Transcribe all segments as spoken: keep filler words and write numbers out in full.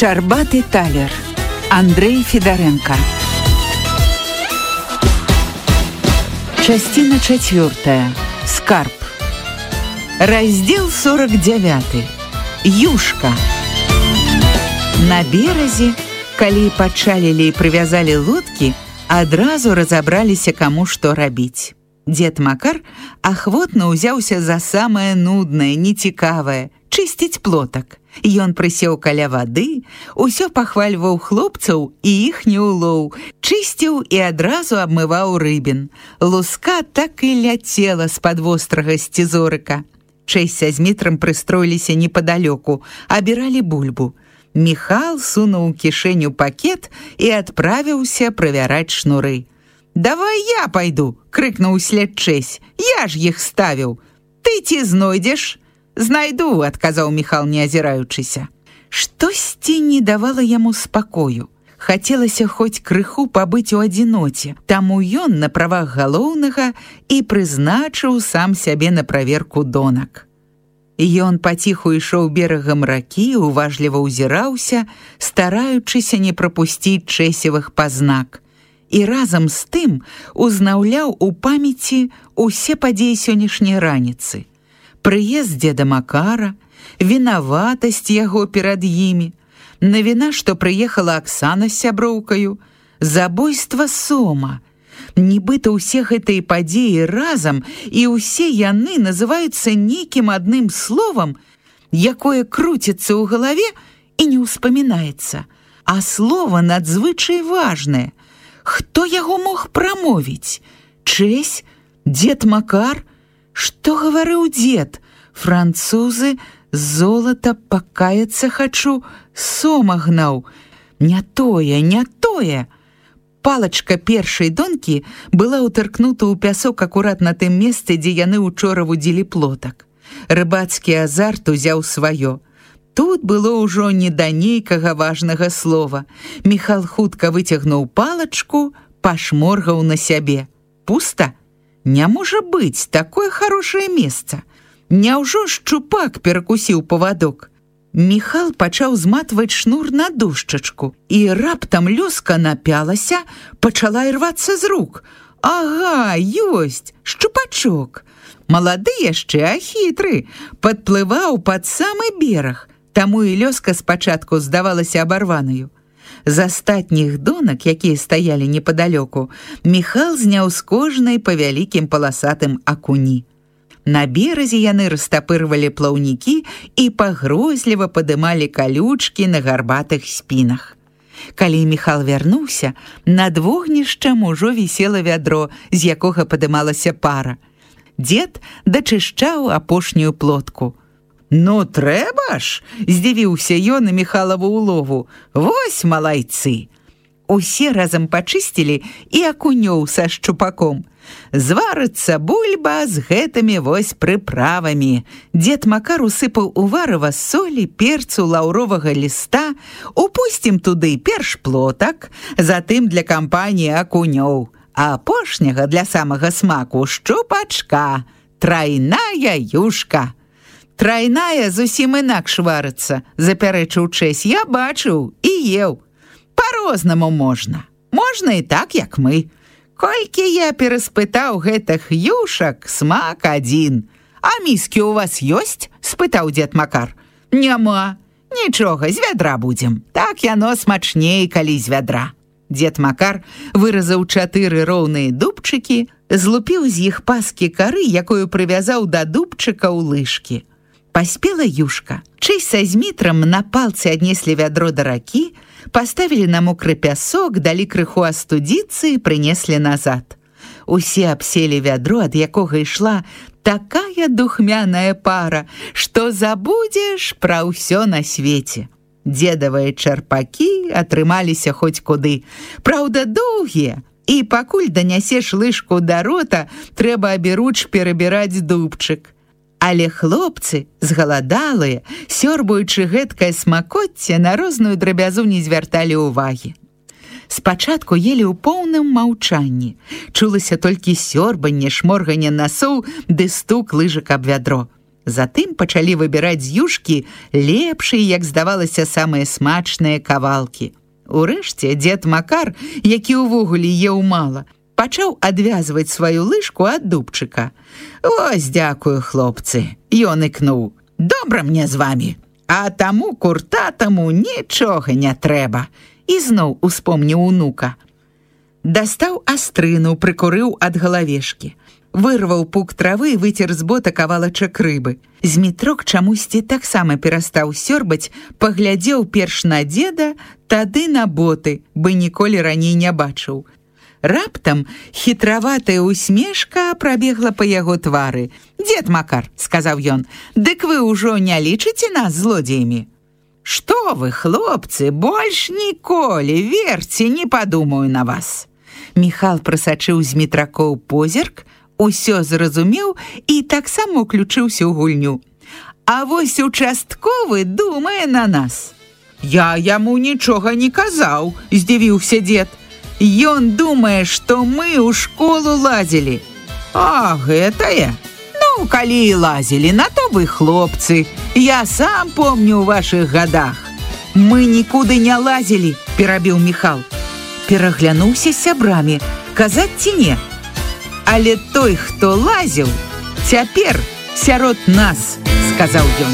Шчарбаты талер. Андрей Федоренко. Частина четвертая. Скарб. Раздел сорок девятый. Юшка. На березе, калі пачалілі і прывязалі лодкі, адразу разабраліся, каму што рабіць. Дзед Макар ахвотна ўзяўся за самае нуднае, нецікавае — чысціць плотак. Ён прысеў каля вады, усё пахвальваў хлопцаў і іхні улоў, чысціў і адразу абмываў рыбін. Луска так і ляцела з-пад вострага сцізорыка. Чэсь са Змітрам прыстроіліся непадалёку, абіралі бульбу. Міхал сунуў у кішэню пакет і адправіўся правяраць шнуры. «Давай я пайду!» — крыкнуў услед Чэсь. «Я ж іх ставіў! Ты ці знойдзеш?» «Знайду», — адказаў Міхал, не азіраючыся. Штосьці не давала яму спакою. Хацелася хоць крыху пабыць у адзіноце, таму ён на правах галоўнага і прызначыў сам сябе на праверку донак. Ён паціху ішоў берагам ракі, уважліва ўзіраўся, стараючыся не прапусціць Чэсевых пазнак. І разам з тым узнаўляў у памяці усе падзеі сённяшняй раніцы. Прыезд дзеда Макара, вінаватасць яго перад імі, навіна, што прыехала Аксана з сяброўкаю, забойства Сома. Нібыта ўсе гэтыя падзеі разам і ўсе яны называюцца нейкім адным словам, якое круціцца ў галаве і не ўспамінаецца. А слова надзвычай важнае. Хто яго мог прамовіць? Чэсь? Дзед Макар? Што гаварыў дзед? Французы, золата, пакаяцца хачу, Сома гнаў. Не тое, не тое. Палачка першай донкі была ўтыркнута ў пясок акурат на тым месцы, дзе яны учора вудзілі плотак. Рыбацкі азарт узяў сваё. Тут было ўжо не да нейкага важнага слова. Міхал хутка выцягнуў палачку, пашморгаў на сябе. Пуста? Не можа быць, такое хорошае месца. Няўжо шчупак перакусіў павадок? Міхал пачаў зматваць шнур на дошчачку, і раптам лёска напялася, пачала ірвацца з рук. Ага, ёсць, шчупачок. Малады яшчэ, а хітры, падплываў пад самы бераг, таму і лёска спачатку здавалася абарванаю. З астатніх донак, якія стаялі непадалёку, Міхал зняў з кожнай па вялікім паласатым акуні. На беразе яны растапырвалі плаўнікі і пагрозліва падымалі калючкі на гарбатых спінах. Калі Міхал вярнуўся, над вогнішчам ужо вісела вядро, з якога падымалася пара. Дзед дачышчаў апошнюю плотку. «Ну, трэба ж!» — здзівіўся ён на Міхалаву улову. «Вось малайцы!» Усе разам пачысцілі і акунёў са шчупаком. Зварыцца бульба з гэтымі вось прыправамі. Дзед Макар усыпаў у варыва солі, перцу, лаўровага ліста, упусцім туды перш плотак, затым для кампаніі акунёў, а апошняга для самага смаку шчупачка, трайная юшка. «Трайная зусім інакш варыцца», — запярэчыў Чэсь. «Я бачыў і еў. Па-рознаму можна. Можна і так, як мы. Колькі я пераспытаў гэтых юшак, смак адзін. А міскі ў вас ёсць?» — спытаў дзед Макар. «Няма. Нічога, з вядра будзем. Так яно смачней, калі з вядра». Дзед Макар выразаў чатыры роўныя дубчыкі, злупіў з іх паскі кары, якую прывязаў да дубчыка ў лыжкі. Паспела юшка. Чэсь са Змітрам на палцы аднеслі вядро да ракі, паставілі на мокры пясок, далі крыху астудзіцца і прынеслі назад. Усе абселі вядро, ад якога ішла такая духмяная пара, што забудзеш пра ўсё на свеце. Дзедавыя чарпакі атрымаліся хоць куды. Праўда, доўгія, і пакуль данясеш лыжку да рота, трэба аберуч перабіраць дубчык. Але хлопцы, згаладалыя, сёрбаючы гэткае смакоцце, на розную драбязу не звярталі ўвагі. Спачатку елі ў поўным маўчанні. Чулася толькі сёрбанне, шморганне насоў ды стук лыжак аб вядро. Затым пачалі выбіраць з юшкі лепшыя, як здавалася, самыя смачныя кавалкі. Урэшце дзед Макар, які ўвогуле еў мала, пачаў адвязваць сваю лыжку ад дубчыка. «Ось, дзякую, хлопцы!» Ён ікнуў. «Добра мне з вамі, а таму куртатаму нічога не трэба!» І зноў успомніў унука. Дастаў астрыну, прыкурыў ад галавешкі. Вырваў пук травы і выцер з бота кавалачак рыбы. Змітрок чамусьці таксама перастаў сёрбаць, паглядзеў перш на дзеда, тады на боты, бы ніколі раней не бачыў. Раптам хітраватая усмешка прабегла па яго твары. «Дзед Макар», — сказаў ён, — «дык вы ўжо не лічыце нас злодзеямі?» «Што вы, хлопцы, больш ніколі, верце, не падумаю на вас». Міхал прасачыў з Мітракоў позірк, усё зразумеў і таксама уключыўся ў гульню. «А вось участковы думае на нас». «Я яму нічога не казаў», — здзівіўся дзед. «Ён думае, што мы ў школу лазілі». «А, гэтае? Ну, калі і лазілі, на то вы, хлопцы. Я сам помню ў вашых гадах». «Мы нікуды не лазілі», — перабіў Міхал. Пераглянуўся з сябрамі, казаць ці не. «Але той, хто лазіў, цяпер сярод нас», — сказаў ён.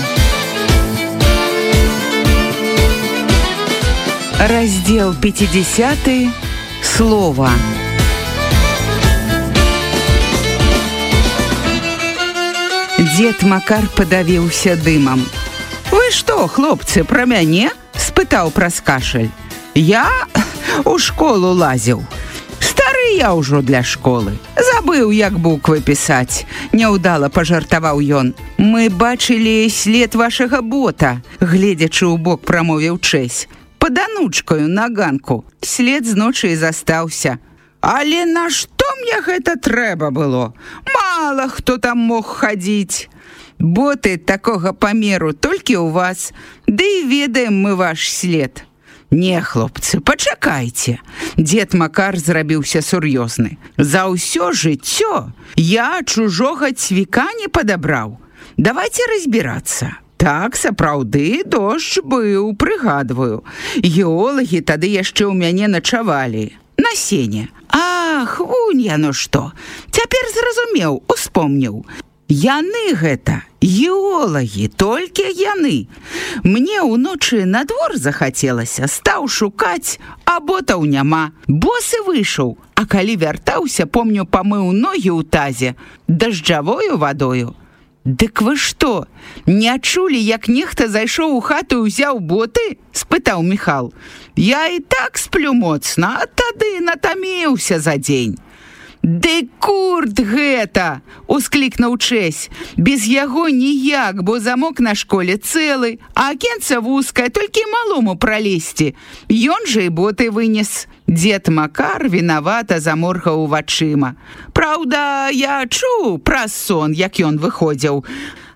Раздзел пяцідзясяты. Слова. Дзед Макар падавіўся дымам. «Вы што, хлопцы, пра мяне?» — спытаў праз кашаль. «Я у школу лазіў. Стары я ўжо для школы. Забыў, як буквы пісаць», — няўдала пажартаваў ён. «Мы бачылі след вашага бота», — гледзячы ў бок прамовіў Чэсь. «Пад анучкаю на ганку. След з ночы і застаўся». «Але на што мне гэта трэба было? Мала хто там мог хадзіць. Боты такога памеру толькі ў вас, ды і ведаем мы ваш след». «Не, хлопцы, пачакайце». Дзед Макар зрабіўся сур'ёзны. «За ўсё жыццё я чужога цвіка не падабраў. Давайце разбірацца. Так, сапраўды, дождж быў, прыгадваю. Геолагі тады яшчэ ў мяне начавалі. На сене. Ах, вунь яно што. Цяпер зразумеў, успомніў. Яны гэта, геолагі, толькі яны. Мне ўночы на двор захацелася, стаў шукаць, а ботаў няма. Босы выйшаў, а калі вяртаўся, помню, памыў ногі ў тазе дажджавою вадою». «Дык вы што, не чулі, як нехта зайшоў у хату і ўзяў боты?» — спытаў Міхал. «Я і так сплю моцна, а тады натаміўся за дзень». «Ды курт гэта!» — усклікнуў Чэсь. «Без яго ніяк, бо замок на школе цэлы, а акенца вузкае, толькі малому пралезці. Ён жа і боты вынес». Дзед Макар вінавата заморгаў вачыма. «Праўда, я чуў праз сон, як ён выходзіў.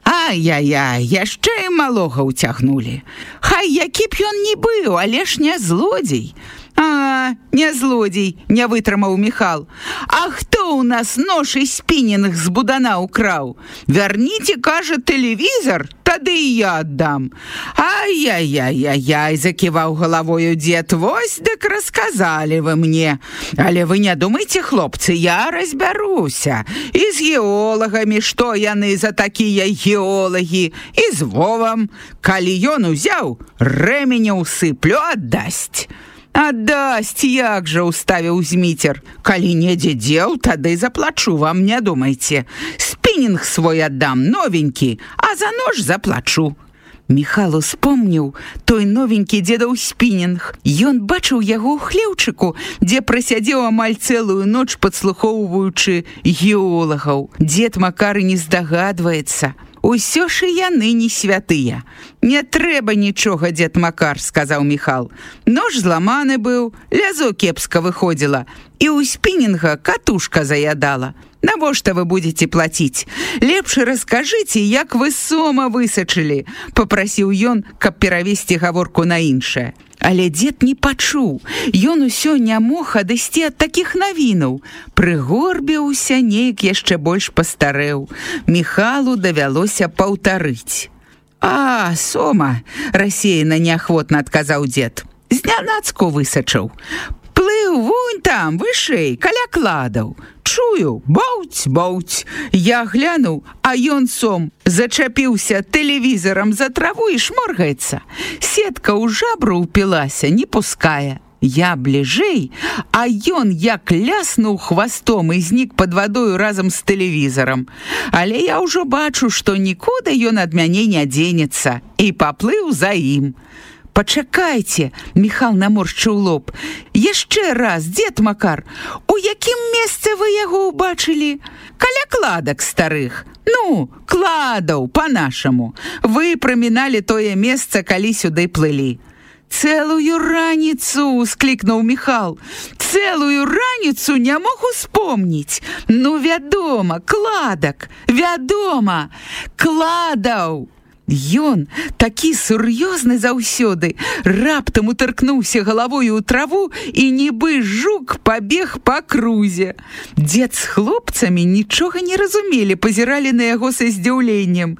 Ай-яй-яй, яшчэ і малога ўцягнулі. Хай які б ён ні быў, але ж не злодзей». «А, не злодзей», — не вытрымаў Міхал. «А хто ў нас нож і спінінг з будана ўкраў? Вярніце, кажа, тэлевізор, тады і я аддам». «Ай-яй-яй-яй-яй», — заківаў галавою дзед, «вось дык расказалі вы мне. Але вы не думайце, хлопцы, я разбяруся. І з геолагамі, што яны за такія геолагі, і з Вовам. Калі ён узяў, рэменя ўсыплю, аддасць». «Аддасць, як жа», — уставіў Зміцер. «Калі недзе дзеў, тады заплачу вам, не думайце. Спінінг свой аддам, новенькі, а за нож заплачу». Міхал успомніў той новенькі дзедаў спінінг. Ён бачыў яго ў хлеўчыку, дзе прасядзеў амаль цэлую ноч, падслухоўваючы геолагаў. Дзед Макар не здагадваецца. «Усё ж і яны не святыя». «Не трэба нічога, дзед Макар», — сказаў Міхал. «Нож зламаны быў, лязо кепска выходзіла, і ў спінінга катушка заядала. Навошта вы будете плаціць? Лепш раскажыце, як вы сома высачылі, попрасіў ён, каб перавесці гаворку на іншае. Але дзед не пачуў. Ён усё не мог адысці ад такіх навінаў. Прыгорбіўся, неяк яшчэ больш пастарэў. Міхалу давялося паўтарыць. А, сома, рассеяна неахвотна адказаў дзед. Знянацку высачыў. Плыў вунь там, вышэй, каля кладаў. Чую, боўць, боўць. Я глянуў, а ён сом зачапіўся тэлевізарам за траву і шморгаецца. Сетка ў жабру ўпілася, не пускае. Я бліжэй, а ён як ляснуў хвастом і знік пад вадою разам з тэлевізарам. Але я ўжо бачу, што нікуды ён ад мяне не дзенецца, і паплыў за ім. Пачакайце, Міхал наморшчыў лоб. Яшчэ раз, дзед Макар, у якім месцы вы яго ўбачылі? Каля кладак старых. Ну, кладаў, па-нашаму. Вы праміналі тое месца, калі сюды плылі. Цэлую раніцу, склікнуў Міхал. Цэлую раніцу не мог успомніць. Ну, вядома, кладак, вядома, кладаў. Ён, такі сур'ёзны заўсёды, раптам утыркнуўся галавою ў траву і нібы жук пабег па крузе. Дзед з хлопцамі нічога не разумелі, пазіралі на яго са здзіўленнем.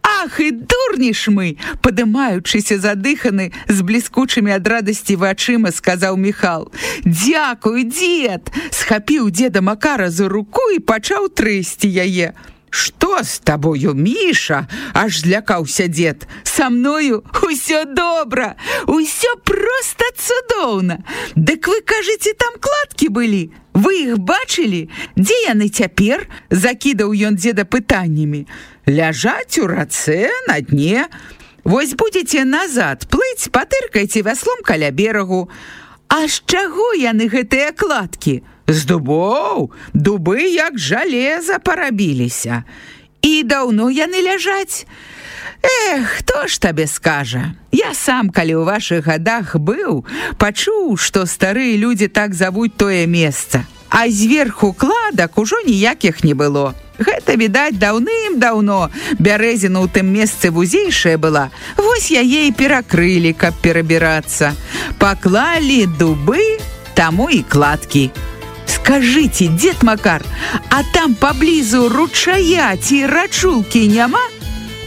Ах, і дурні ж мы, падымаючыся задыханы, з бліскучымі ад радасці вачыма, сказаў Міхал. Дзякуй, дзед! Схапіў дзеда Макара за руку і пачаў трэсці яе. Што з табою, Міша? Аж злякаўся дзед. Са мною усё добра, усё проста цудоўна. Дык вы кажаце, там кладкі былі? Вы іх бачылі? Дзе яны цяпер? Закідаў ён дзеда пытаннямі. Ляжаць у рацэ на дне. Вось будзеце назад плыць, патыркайце вяслом каля берагу. А з чаго яны гэтыя кладкі? З дубоў, дубы як жалеза парабіліся. І даўно яны ляжаць? Эх, хто ж табе скажа? Я сам, калі ў вашых гадах быў, пачуў, што старыя людзі так завуць тое месца. А зверху кладак ужо ніякіх не было. Гэта, відаць, даўным-даўно бярэзіна ў тым месцы вузейшая была. Вось яе і перакрылі, каб перабірацца. Паклалі дубы, таму і кладкі. Скажыце, дзед Макар, а там паблізу ручая ці рачулкі няма?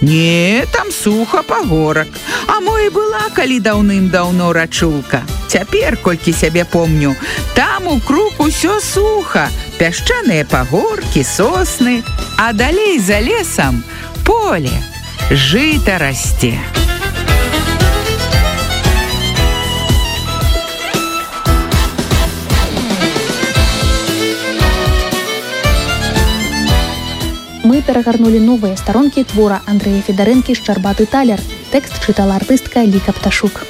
Не, там суха пагорак. А мо і была калі даўным-даўно рачулка. Цяпер, колькі сябе помню, там у круг усё суха. Пясчаныя пагоркі, сосны, а далей за лесам поле, жыта расце. Мы перагарнулі новыя старонкі твора Андрэя Федарэнкі «Шчарбаты талер». Тэкст чытала артыстка Ліка Пташук.